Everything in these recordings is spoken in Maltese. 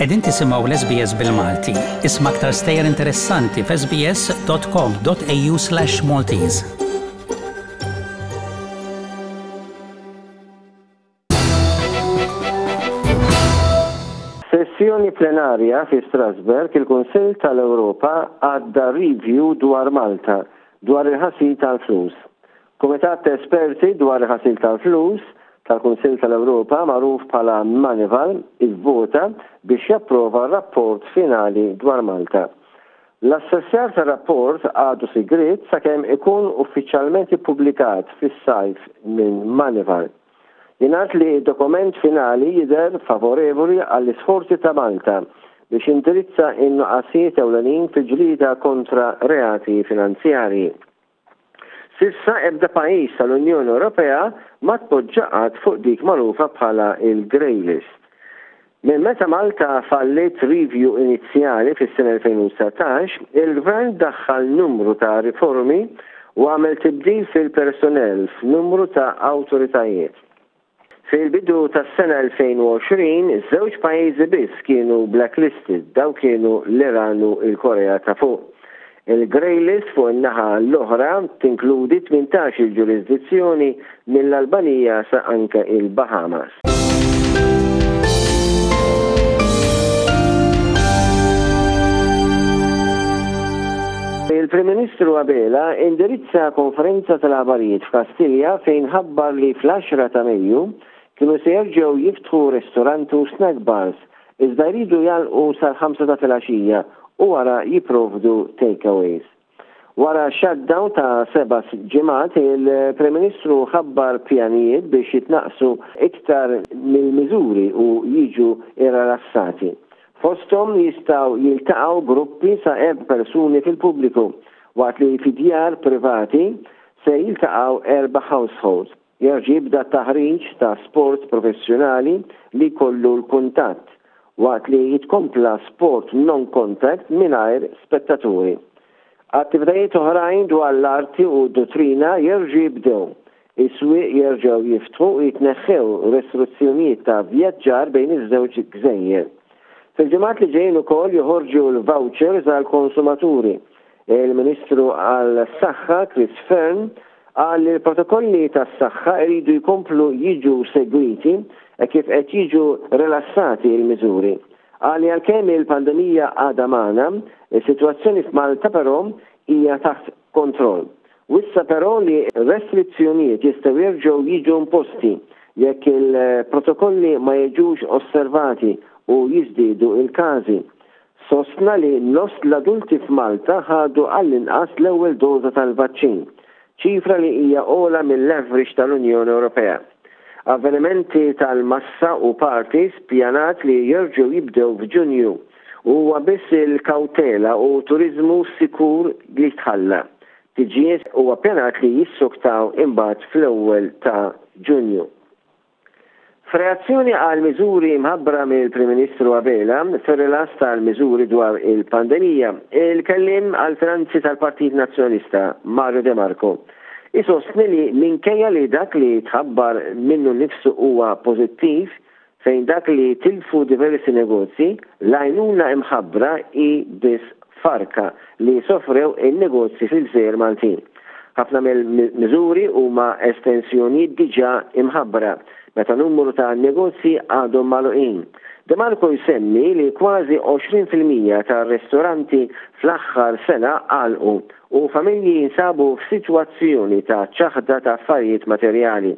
Qegħdin tisimgħu l-SBS bil-Malti. Isma' aktar stejjer interessanti f'sbs.com.au/Maltese. Sessjoni plenarja fi Strasbourg, il-Kunsill tal-Ewropa għadda review dwar Malta dwar il-ħasil tal-flus. Kumitat ta' Esperti dwar il-Ħasil tal-Flus tal-Kunsill tal-Ewropa magħruf bħala Moneyval ivvota biex japprova r-rapport finali dwar Malta. L-assessjar tar-rapport għadu sigriet sakemm ikun uffiċjalment ippubblikat fis-sajf minn Moneyval. Jingħad li d-dokument finali jidher favorevoli għall-isforzi ta' Malta biex jindirizza n-nuqqasijiet ewlenin fil-ġlieda kontra reati finanzjarji. S'issa ebda pajjiż tal-Unjoni Ewropea ma tpoġġa qatt fuq dik magħrufa bħala l-grey list. Minn meta Malta falliet review inizjali fis-sena 2019, il-Gvern daħħal numru ta' riformi u għamel tibdil fil-personnel f'numru ta' awtoritajiet. Fil-bidu tas-sena 2020, żewġ pajjiżi biss kienu blacklisted, dawn kienu l-Iran u l-Korea ta' Fuq. Il-grey list fuq in-naħa l-oħra tinkludi 18-il ġurisdizzjoni mill-Albanija sa anke il-Bahamas. Il-Prim Ministru Abela indirizza konferenza tal-aħbarijiet f'Kastilja fejn ħabbar li fl-għaxra ta' Mejju kienu se jerġgħu jiftħu ristoranti u snack bars iżda jridu jagħlqu sal-ħamsa ta' filgħaxija u wara jipprovdu takeaways. Wara shutdown ta' seba' ġimgħat, il-Prim Ministru ħabbar pjanijiet biex jitnaqqsu iktar mill-miżuri u jiġu rrelassati. Fosthom jistgħu jiltaqgħu gruppi sa erba' persuni fil-pubbliku, waqt li fi djar privati se jiltaqgħu erba' households. Jerġa' jibda t-taħriġ ta' sport professjonali li jkollu l-kuntatt, waqt li jitkompla sport non-contact mingħajr spettaturi. Attivitajiet oħrajn dwar l-arti u d-duttrina jerġgħu jibdew, is-swieq jerġgħu jiftħu u jitneħħew restrizzjonijiet ta' vjaġġar bejn iż-żewġ gżejjer. Fil-ġimgħat li ġejjin ukoll joħorġu l-vouchers għall-konsumaturi. Il-Ministru għas-Saħħa Chris Fearne qal li l-protokolli tas-saħħa jridu jkomplu jiġu segwiti hekk kif qed jiġu rilassati l-miżuri. Qal li għalkemm il-pandemija għadha magħna, is-sitwazzjoni f'Malta però hija taħt kontroll. Wissa però li restrizzjonijiet jistgħu jerġgħu jiġu imposti jekk il-protokolli ma jiġux osservati u jiżdiedu l-każi. Sostna li nofs l-adulti f'Malta ħadu għall-inqas l-ewwel doża tal-vaċċin, ċifra li hija ogħla mill-average tal-Unjoni Ewropea. Avvenimenti tal-massa u parties ppjanat li jerġgħu jibdew f'Ġunju u huwa biss il-kawtela u turiżmu sikur li tħalla. Tiġijiet huwa ppjanat li jissoktaw imbagħad fl-ewwel ta' Ġunju. F'reazzjoni għal miżuri mħabbra mill-Prim Ministru Abela fir-rilass tal-miżuri dwar il-pandemija, il-Kelliem għall-Finanzi tal-Partit Nazzjonalista, Mario De Marco, isostni li minkejja li dak li tħabbar minnu nnifsu huwa pożittiv, fejn dak li tilfu diversi negozji, l-għajnuna imħabbra hi biss farka li sofrew in-negozji fil-gżejjer Maltin. Ħafna mill-miżuri huma estensjonijiet diġà imħabbra, meta numru ta' negozji għadhom magħluqin. De Marco jsemmi li kważi 20% tar-ristoranti fl-aħħar sena għalqu u familji jinsabu f'sitwazzjoni ta' ċaħda ta' affarijiet materjali.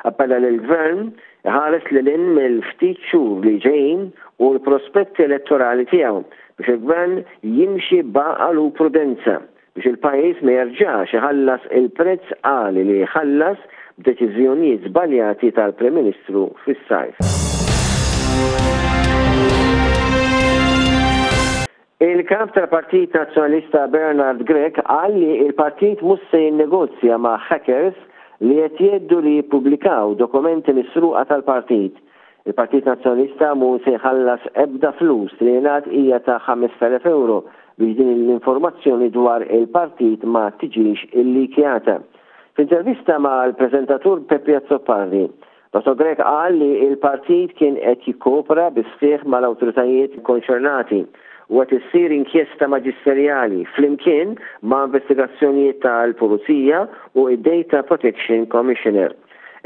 Appella lill-Gvern iħares lil hinn mill-ftit xhur li ġejjin u l-prospetti elettorali tiegħu biex il-Gvern jimxi b'għaqal u prudenza biex il-pajjiż ma jerġax iħallas il-prezz għali li ħallas b'deċiżjonijiet żbaljati tal-Prim Ministru fis-sajf. Il-Kap tal-Partit Nazzjonalista Bernard Grech qal li l-partit mhux se jinnegozja ma' hackers li qed jgħeddu li jippubblikaw dokumenti misruqa tal-partit. Il-Partit Nazzjonalista mhu se jħallas ebda flus li jingħad hija ta' 5,000 ewro biex din l-informazzjoni dwar il-partit ma tiġix illikjata. F'intervista mal-preżentatur Peppi Azzopardi, Dottor Grech qal li l-partit kien qed jikkopera bis-sħiħ mal-awtoritajiet konċernati u qed issir inkjesta maġisterjali flimkien ma' investigazzjonijiet tal-Pulizija u d-Data Protection Commissioner.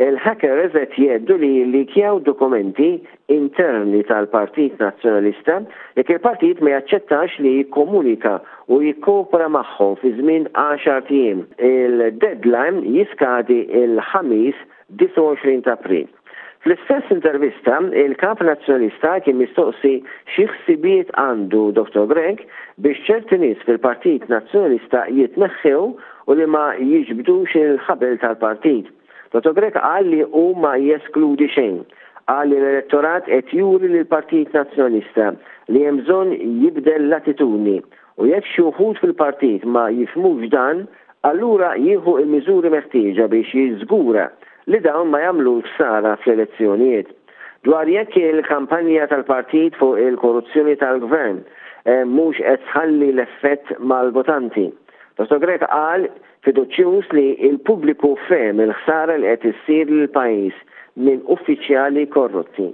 Il-hackers qed jgħeddu li jillikjaw dokumenti interni tal-Partit Nazzjonalista jekk il-partit ma jaċċettax li jikkomunika u jikkopera magħhom fi żmien għaxart ijiem. Il-deadline jiskadi l-Ħamis 29 ta' April. Fl-istess intervista, il-Kap Nazzjonalista kien mistoqsi xi ħsibijiet għandu Dottor Grech biex ċerti nies fil-Partit Nazzjonalista jitneħħew u li ma jiġbdux il-ħabel tal-partit. Dottor Grech qal li hu ma jeskludi xejn. Qal li l-elettorat qed juri lill-Partit Nazzjonalista li hemm bżonn jibdel l-attitudni u jekk xi wħud fil-partit ma jifhmux dan, allura jieħu l-miżuri meħtieġa biex jiżgura li dawn ma jagħmlux ħsara fl-elezzjonijiet. Dwar jekk il-kampanja tal-partit fuq il-korruzzjoni tal-Gvern mhux qed tħalli l-effett mal-votanti, Dottor Grech qal fiduċjuż li l-pubbliku fehem il-ħsara li qed issir lill-pajjiż minn uffiċjali korrotti.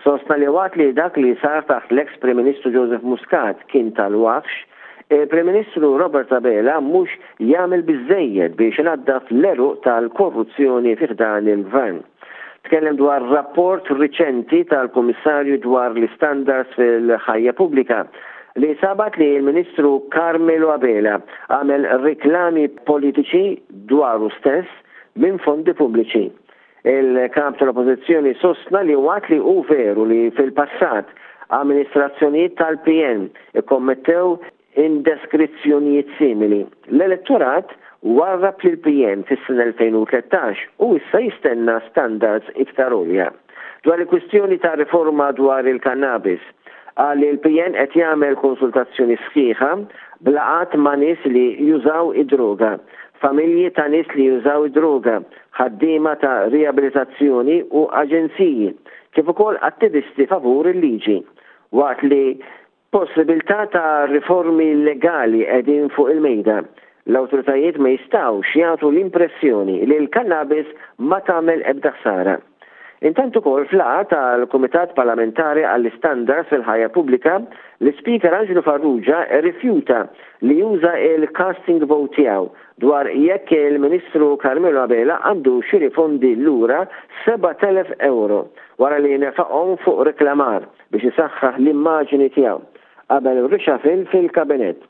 Sostna li waqt li dak li sar taħt l-eks Prim Ministru Joseph Muscat kien tal-wafx, il-Prim Ministru Robert Abela mhux jagħmel biżżejjed biex inaddaf l-għeruq tal-korruzzjoni fi ħdan il-Gvern. Tkellem dwar rapport riċenti tal-Kummissarju dwar l-Istandards fil-Ħajja Pubblika li sabat li l-Ministru Carmelo Abela għamel riklami politiċi dwaru stess minn fondi pubbliċi. Il-Kap tal-Oppożizzjoni sostna li waqt li hu veru li fil-passat amministrazzjonijiet tal-PN ikkommettew indeskrizzjonijiet simili, l-elettorat warrab lill-PN fis-sena 2013 u issa jistenna standards iktar għolja. Dwar il-kwistjoni ta' riforma dwar il-kannabis, qal li l-PN qed jagħmel konsultazzjoni sħiħa b'laqgħat ma' nies li jużaw id-droga, familji ta' nies li jużaw id-droga, ħaddiema ta' riabilitazzjoni u aġenziji, kif ukoll attivisti favur il-liġi, waqt li possibilità ta' riformi legali qegħdin fuq il-mejda. L-awtoritajiet ma jistgħux jagħtu l-impressjoni li l-kannabis ma tagħmel ebda ħsara. Intant ukoll f'laqgħa tal-Kumitat Parlamentari għall-Istandards fil-Ħajja Pubblika, l-Ispeaker Anġlu Farrugia rrifjuta li juża l-casting vote tiegħu dwar jekk il-Ministru Carmelo Abela għandux jirrifondi lura 7,000 ewro wara li nefaqhom fuq reklamar biex isaħħaħ l-immaġini tiegħu qabel reshuffle fil-Kabinett.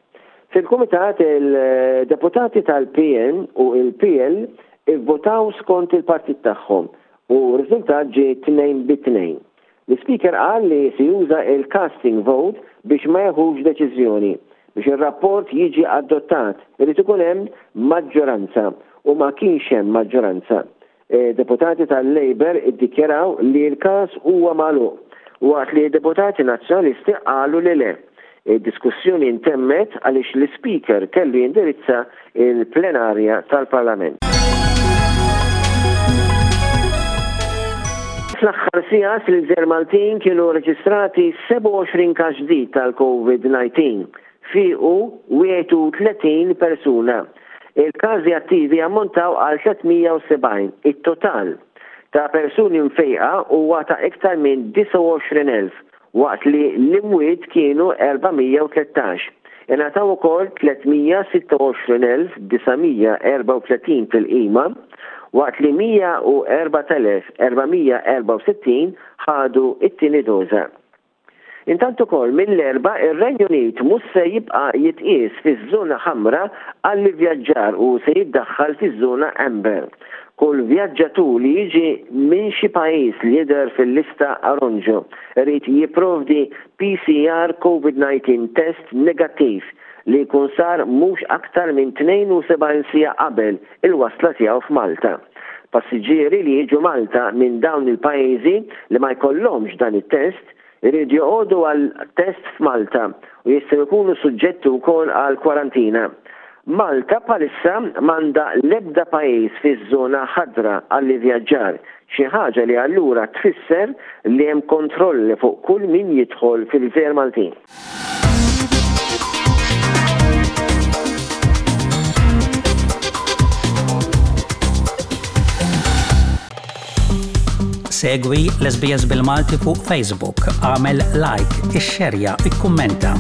Fil-Kumitat il-Deputati tal-PN u l-PL ivvutaw skont il-partit tagħhom u r-riżultat ġie tnejn bi tnejn. L-Ispeaker qal li se juża l-casting vote biex ma jeħux deċiżjoni. Biex ir-rapport jiġi adottat irid ikun hemm maġġoranza u ma kienx hemm maġġoranza. Deputati tal-Labour iddikjaraw li l-każ huwa magħluq, waqt li deputati Nazzjonalisti qalu li le. Id-diskussjoni ntemmet għaliex l-Ispeaker kellu jindirizza l-plenarja tal-Parlament. Fl-aħħar sigħat fil-Gżejjer Maltin kienu reġistrati 27 każ ġdid tal-Covid-19. Fiequ 31 persuna. Il-każi attivi ammontaw għal 370. It-total ta' persuni mfejqa huwa ta' iktar minn 29,000 waqt li l-imwiet kienu 413. Ingħataw ukoll 326,934 tilqima, waqt li 104,464 ħadu t-tieni doża. Intant ukoll mill-Erbgħa ir-Renju Unit mhux se jibqa' jitqies fiż-żona ħamra għall-ivvjaġġar u se jiddaħħal fiż-żona amber. Kull vjaġġatur li jiġi minn xi pajjiż li jidher fil-lista aronġo irid jipprovdi PCR Covid-19 test negattiv li jkun sar mhux aktar minn 72 siegħa qabel il-wasla tiegħu f'Malta. Passiġġieri li jiġu Malta minn dawn il-pajjiżi li ma jkollhomx dan it-test Iridu joqogħdu għal test f'Malta u jistgħu jkunu suġġetti wkoll għal kwarantina. Malta bħalissa m'għandha l-ebda pajjiż fiż-żona ħadra għall-ivvjaġġar, xi ħaġa li allura tfisser li hemm kontrolli fuq kull min jidħol fil-gżejjer Maltin. Segwi l-SBS bil-Malti fuq Facebook, għamel like, ixxerja, ikkummenta.